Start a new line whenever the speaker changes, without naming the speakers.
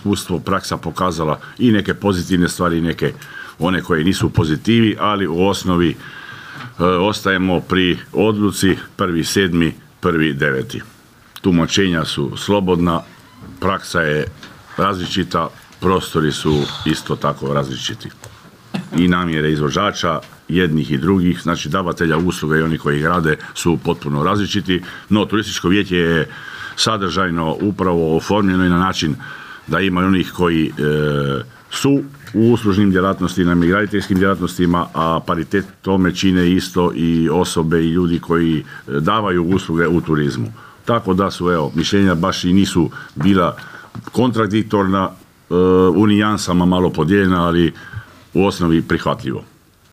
iskustvo, praksa pokazala i neke pozitivne stvari i neke one koje nisu pozitivi, ali u osnovi ostajemo pri odluci 1.7., 1.9. Tumačenja su slobodna, praksa je različita, prostori su isto tako različiti. I namjere izvođača, jednih i drugih, znači davatelja usluga i oni koji ih rade su potpuno različiti, no turističko vijeće je sadržajno upravo oformljeno i na način da ima onih koji su u uslužnim djelatnostima i graditeljskim djelatnostima, a paritet tome čine isto i osobe i ljudi koji davaju usluge u turizmu. Tako da su, mišljenja baš i nisu bila kontradiktorna, u nijansama malo podijeljena, ali u osnovi prihvatljivo.